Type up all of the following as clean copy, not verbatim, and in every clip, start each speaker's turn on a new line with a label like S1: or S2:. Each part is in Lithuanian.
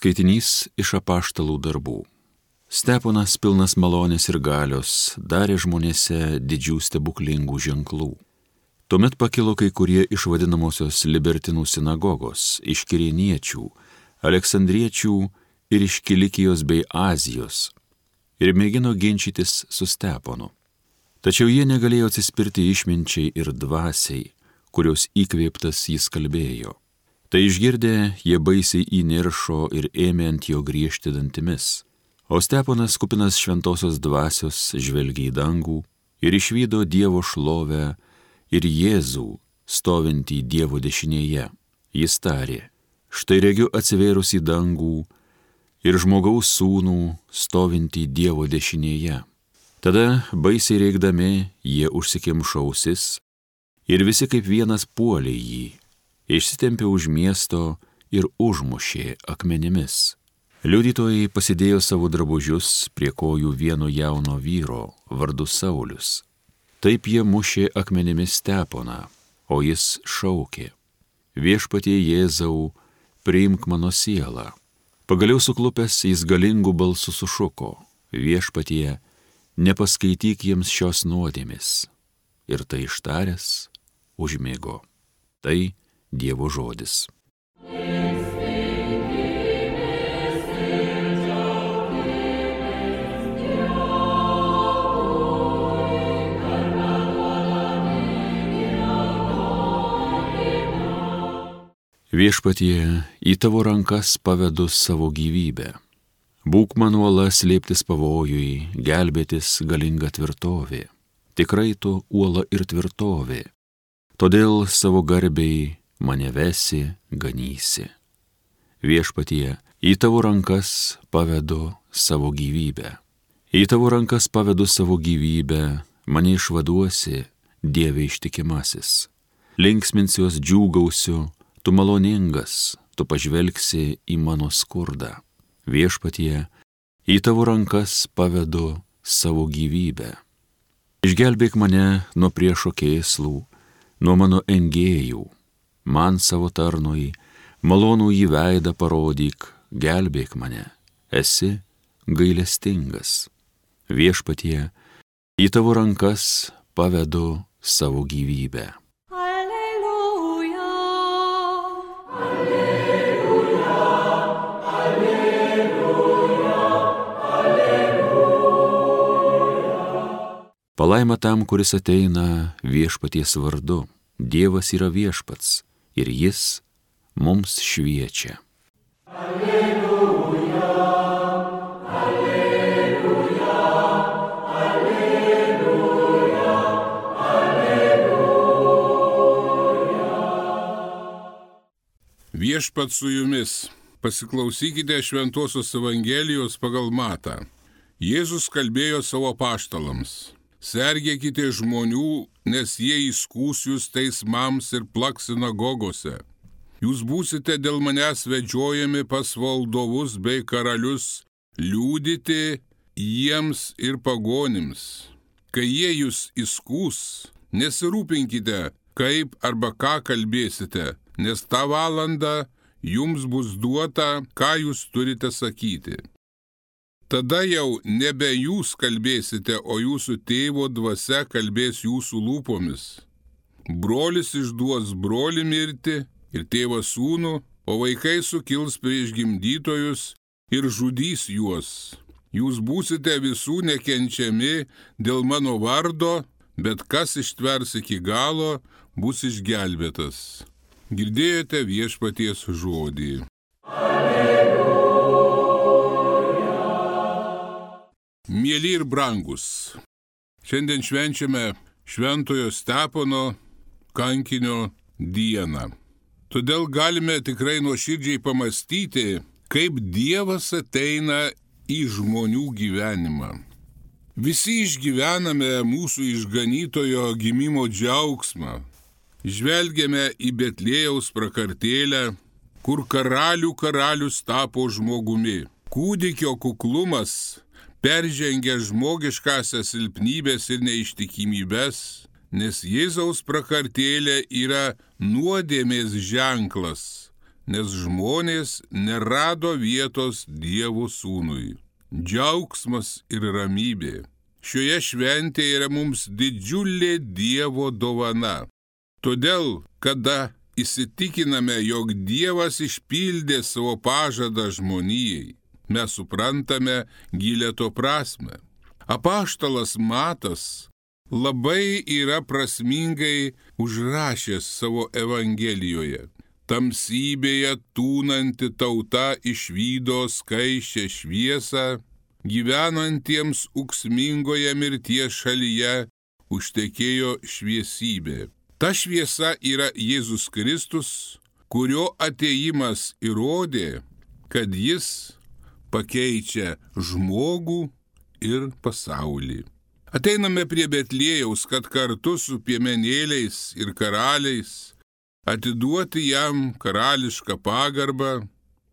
S1: Skaitinys iš apaštalų darbų. Steponas, pilnas malonės ir galios, darė žmonėse didžių stebuklingų ženklų. Tuomet pakilo kai kurie iš vadinamosios libertinų sinagogos, iš kirėniečių, aleksandriečių ir iš Kilikijos bei Azijos, ir mėgino ginčytis su Steponu. Tačiau jie negalėjo atsispirti išminčiai ir dvasiai, kurios įkvėptas jis kalbėjo. Tai išgirdę, jie baisiai įniršo ir ėmė ant jo griežti dantimis. O Steponas, kupinas šventosios dvasios, žvelgė į dangų ir išvydo Dievo šlovę ir Jėzų stovintį Dievo dešinėje. Jis tarė: štai regiu atsivėrus į dangų ir žmogaus sūnų stovintį Dievo dešinėje. Tada, baisiai reikdami, jie užsikimšo ausis ir visi kaip vienas puolė jį. Išsitempė už miesto ir užmušė akmenimis. Liudytojai pasidėjo savo drabužius prie kojų vieno jauno vyro vardu Saulius. Taip jie mušė akmenimis Steponą, o jis šaukė: viešpatie Jėzau, priimk mano sielą. Pagaliau suklupęs jis galingų balsų sušuko: viešpatie, nepaskaityk jiems šios nuodėmės. Ir tai ištaręs užmigo. Tai Dievo žodis. Viešpatie, į tavo rankas pavedu savo gyvybę. Būk man uola slėptis pavojui, gelbėtis galinga tvirtovė. Tikrai tu uola ir tvirtovė. Todėl savo garbei mane vesi, ganysi. Viešpatie, į tavo rankas pavedu savo gyvybę. Į tavo rankas pavedu savo gyvybę, mane išvaduosi, Dieve ištikimasis. Linksminsiuos, džiūgausiu, tu maloningas, tu pažvelgsi į mano skurdą. Viešpatie, į tavo rankas pavedu savo gyvybę. Išgelbėk mane nuo priešo kėslų, nuo mano engėjų. Man savo tarnui malonų į veidą parodyk, gelbėk mane, esi gailestingas. Viešpatie, į tavo rankas pavedu savo gyvybę.
S2: Alleluja, alleluja, alleluja, alleluja.
S1: Palaima tam, kuris ateina viešpaties vardu. Dievas yra viešpats ir jis mums šviečia.
S2: Alleluja, alleluja, alleluja, alleluja.
S3: Viešpats su jumis. Pasiklausykite Šventosios Evangelijos pagal Matą. Jėzus kalbėjo savo apaštalams: sergėkite žmonių, nes jie įskųs jūs teismams ir plaks sinagogose. Jūs būsite dėl manęs vedžiojami pas valdovus bei karalius, liudyti jiems ir pagonims. Kai jie jūs įskūs, nesirūpinkite, kaip arba ką kalbėsite, nes tą valandą jums bus duota, ką jūs turite sakyti. Tada jau nebe jūs kalbėsite, o jūsų tėvo dvasia kalbės jūsų lūpomis. Brolis išduos brolį mirti ir tėvas sūnų, o vaikai sukils prieš gimdytojus ir žudys juos. Jūs būsite visų nekenčiami dėl mano vardo, bet kas ištvers iki galo, bus išgelbėtas. Girdėjote viešpaties žodį. Mieli ir brangus, šiandien švenčiame Šventojo Stepono kankinio dieną. Todėl galime tikrai nuoširdžiai pamastyti, kaip Dievas ateina į žmonių gyvenimą. Visi išgyvename mūsų išganytojo gimimo džiaugsmą. Žvelgiame į Betliejaus prakartėlę, kur karalių karalius tapo žmogumi. Kūdikio kuklumas peržengia žmogiškąsias silpnybės ir neištikimybės, nes Jėzaus prakartėlė yra nuodėmės ženklas, nes žmonės nerado vietos Dievo sūnui. Džiaugsmas ir ramybė. Šioje šventėje yra mums didžiulė Dievo dovana. Todėl, kada įsitikiname, jog Dievas išpildė savo pažadą žmonijai, mes suprantame gilę to prasme. Apaštalas Matas labai yra prasmingai užrašęs savo Evangelijoje. Tamsybėje tūnanti tauta išvydo skaisčią šviesą, gyvenantiems ūksmingoje mirties šalyje užtekėjo šviesybė. Ta šviesa yra Jėzus Kristus, kurio atėjimas įrodė, kad jis pakeičia žmogų ir pasaulį. Ateiname prie Betliejaus, kad kartu su piemenėliais ir karaliais atiduoti jam karališką pagarbą,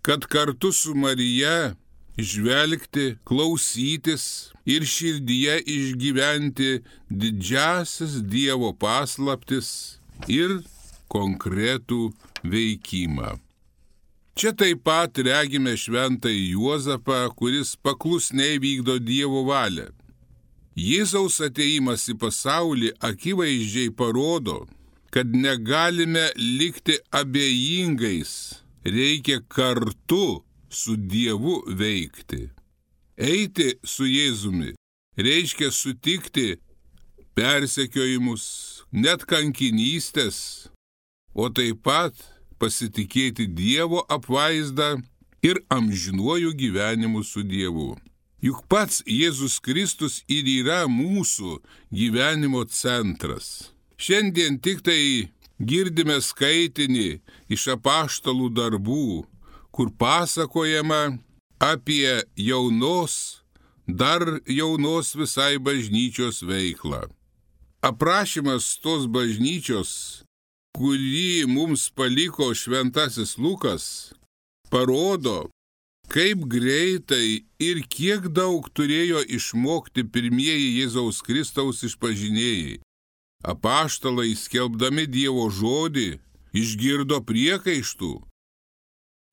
S3: kad kartu su Marija žvelgti, klausytis ir širdyje išgyventi didžiausias Dievo paslaptis ir konkretų veikimą. Čia taip pat regime šventąjį Juozapą, kuris paklusniai vykdo Dievo valią. Jėzaus atėjimas į pasaulį akivaizdžiai parodo, kad negalime likti abejingais, reikia kartu su Dievu veikti. Eiti su Jėzumi reiškia sutikti persekiojimus, net kankinystės, o taip pat pasitikėti Dievo apvaizdą ir amžinuoju gyvenimu su Dievu. Juk pats Jėzus Kristus ir yra mūsų gyvenimo centras. Šiandien tik tai girdime skaitinį iš apaštalų darbų, kur pasakojama apie dar jaunos visai bažnyčios veiklą. Aprašymas tos bažnyčios, kurį mums paliko šventasis Lukas, parodo, kaip greitai ir kiek daug turėjo išmokti pirmieji Jėzaus Kristaus išpažinėjai. Apaštalai, skelbdami Dievo žodį, išgirdo priekaištų,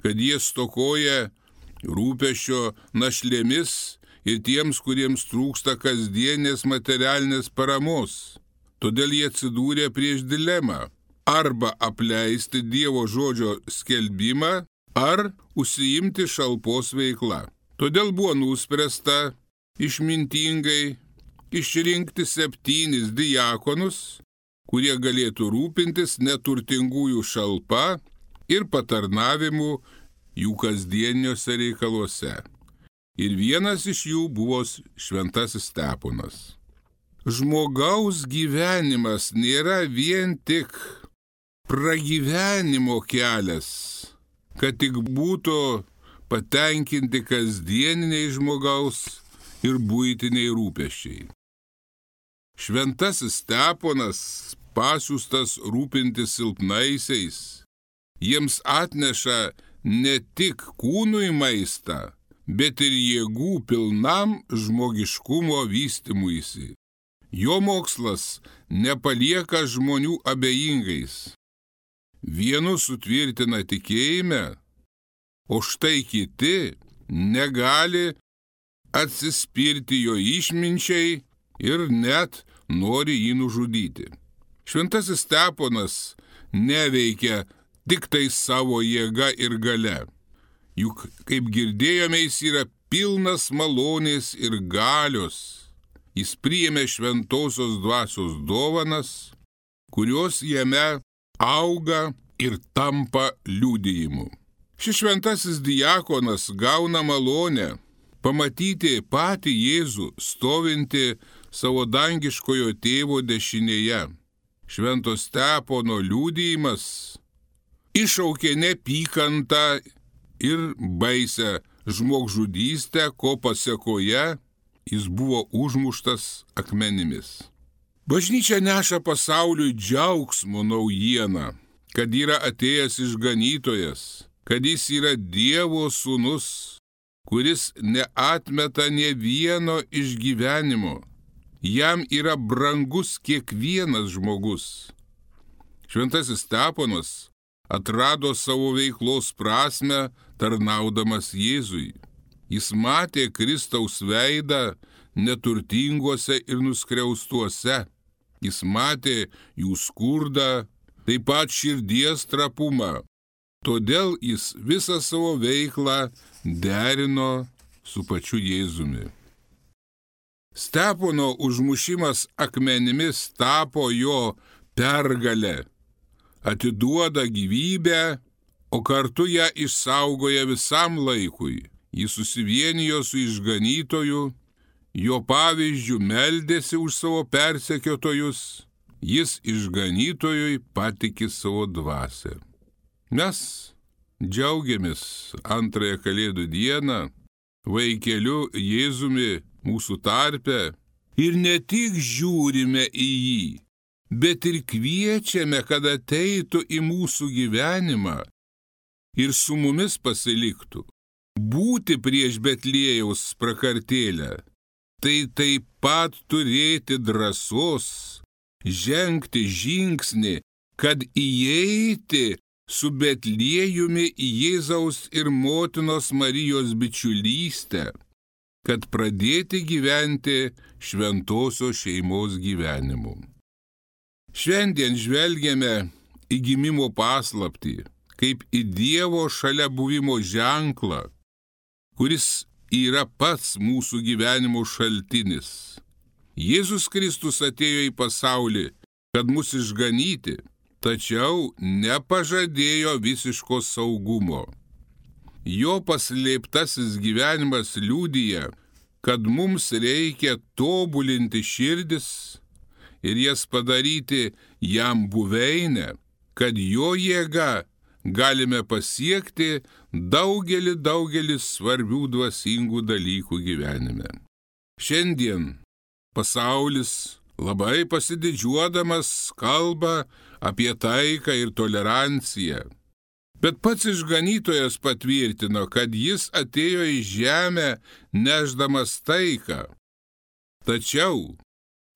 S3: kad jie stokoja rūpesčio našlėmis ir tiems, kuriems trūksta kasdienės materialinės paramos. Todėl jie atsidūrė prieš dilemą – arba apleisti Dievo žodžio skelbimą, ar užsiimti šalpos veikla. Todėl buvo nuspręsta išmintingai išrinkti 7 diakonus, kurie galėtų rūpintis neturtingųjų šalpa ir patarnavimu jų kasdieniuose reikaluose. Ir vienas iš jų buvo šventasis Steponas. Žmogaus gyvenimas nėra vien tik pragyvenimo kelias, kad tik būtų patenkinti kasdieniniai žmogaus ir buitiniai rūpesčiai. Šventasis Steponas, pasiųstas rūpintis silpnaisiais, jiems atneša ne tik kūnui maistą, bet ir jėgų pilnam žmogiškumo vystymuisi. Jo mokslas nepalieka žmonių abejingais. Vienus sutvirtina tikėjime, o štai kiti negali atsispirti jo išminčiai ir net nori jį nužudyti. Šventasis Steponas neveikia tik tai savo jėga ir galia. Juk, kaip girdėjome, jis yra pilnas malonės ir galios. Jis priėmė šventosios dvasios dovanas, kurios jame auga ir tampa liudijimu. Šis šventasis diakonas gauna malonę pamatyti patį Jėzų stovinti savo dangiškojo tėvo dešinėje. Švento Stepono liudijimas iššaukė neapykantą ir baisią žmogžudystę, ko pasekoje jis buvo užmuštas akmenimis. Bažnyčia neša pasauliui džiaugsmo naujieną, kad yra atėjęs išganytojas, kad jis yra Dievo sūnus, kuris neatmeta nė vieno išgyvenimo. Jam yra brangus kiekvienas žmogus. Šventasis Steponas atrado savo veiklos prasme tarnaudamas Jėzui. Jis matė Kristaus veidą neturtinguose ir nuskriaustuose. Jis matė jų skurdą, taip pat širdies trapumą. Todėl jis visą savo veiklą derino su pačiu Jėzumi. Stepono užmušimas akmenimis tapo jo pergalė, atiduoda gyvybę, o kartu ją išsaugoja visam laikui. Jis susivienijo su išganytoju, jo pavyzdžių meldėsi už savo persekiotojus, jis išganytojui patikė savo dvasią. Mes džiaugiamės antrąją Kalėdų dieną vaikeliu Jėzumi mūsų tarpe ir ne tik žiūrime į jį, bet ir kviečiame, kad ateitų į mūsų gyvenimą ir su mumis pasiliktų. Būti prieš Betliejaus prakartėlę, tai taip pat turėti drąsos, žengti žingsnį, kad įeiti su Betliejumi į Jėzaus ir motinos Marijos bičiulystę, kad pradėti gyventi šventosios šeimos gyvenimu. Šiandien žvelgiame į gimimo paslaptį, kaip į Dievo šalia buvimo ženklą, kuris yra pats mūsų gyvenimo šaltinis. Jėzus Kristus atėjo į pasaulį, kad mus išganyti, tačiau nepažadėjo visiško saugumo. Jo paslėptasis gyvenimas liudija, kad mums reikia tobulinti širdis ir jas padaryti jam buveinę, kad jo jėga galime pasiekti daugelį svarbių dvasingų dalykų gyvenime. Šiandien pasaulis labai pasididžiuodamas kalba apie taiką ir toleranciją. Bet pats išganytojas patvirtino, kad jis atėjo į žemę nešdamas taiką. Tačiau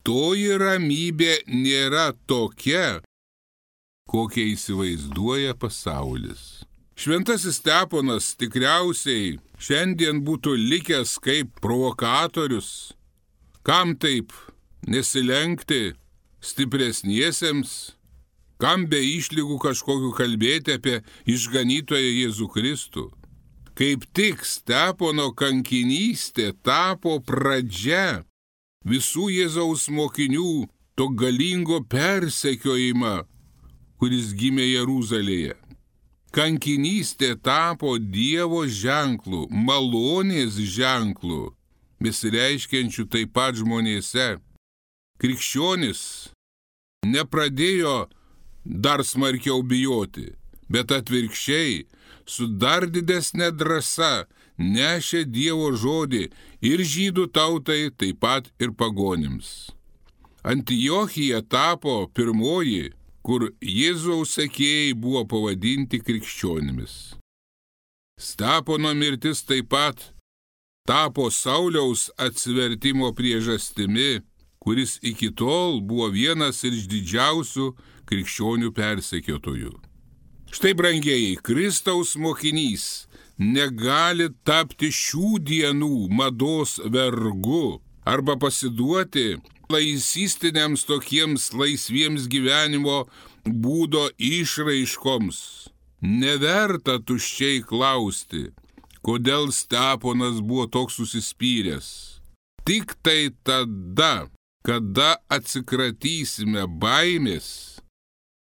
S3: toji ramybė nėra tokia, kokią įsivaizduoja pasaulis. Šventasis Steponas tikriausiai šiandien būtų likęs kaip provokatorius. Kam taip nesilenkti stipresniesiems? Kam be išlygų kažkokiu kalbėti apie išganytoją Jėzų Kristų? Kaip tik Stepono kankinystė tapo pradžia visų Jėzaus mokinių to galingo persekiojimą, kuris gimė Jeruzalėje. Kankinystė tapo Dievo ženklu, malonės ženklu, besireiškiančių taip pat žmonėse. Krikščionis nepradėjo dar smarkiau bijoti, bet atvirkščiai su dar didesnė drąsa nešė Dievo žodį ir žydų tautai, taip pat ir pagonims. Antiochija tapo pirmoji, kur Jėzaus sekėjai buvo pavadinti krikščionimis. Stepono mirtis taip pat tapo Sauliaus atsivertimo priežastimi, kuris iki tol buvo vienas iš didžiausių krikščionių persekiotojų. Štai, brangieji, Kristaus mokinys negali tapti šių dienų mados vergu arba pasiduoti laisistiniams tokiems laisviems gyvenimo būdo išraiškoms. Neverta tuščiai klausti, kodėl Steponas buvo toks užsispyręs. Tik tai tada, kada atsikratysime baimės,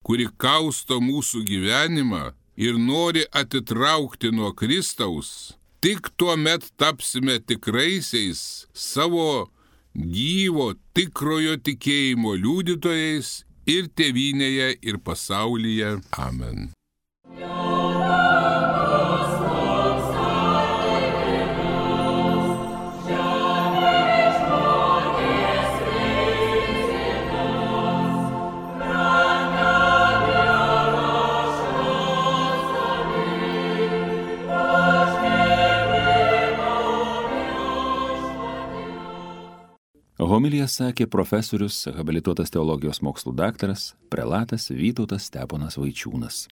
S3: kuri kausto mūsų gyvenimą ir nori atitraukti nuo Kristaus, tik tuomet tapsime tikraisiais savo gyvo, tikrojo tikėjimo liudytojais ir tėvynėje, ir pasaulyje. Amen.
S1: Homiliją sakė profesorius, habilituotas teologijos mokslų daktaras, prelatas Vytautas Steponas Vaičiūnas.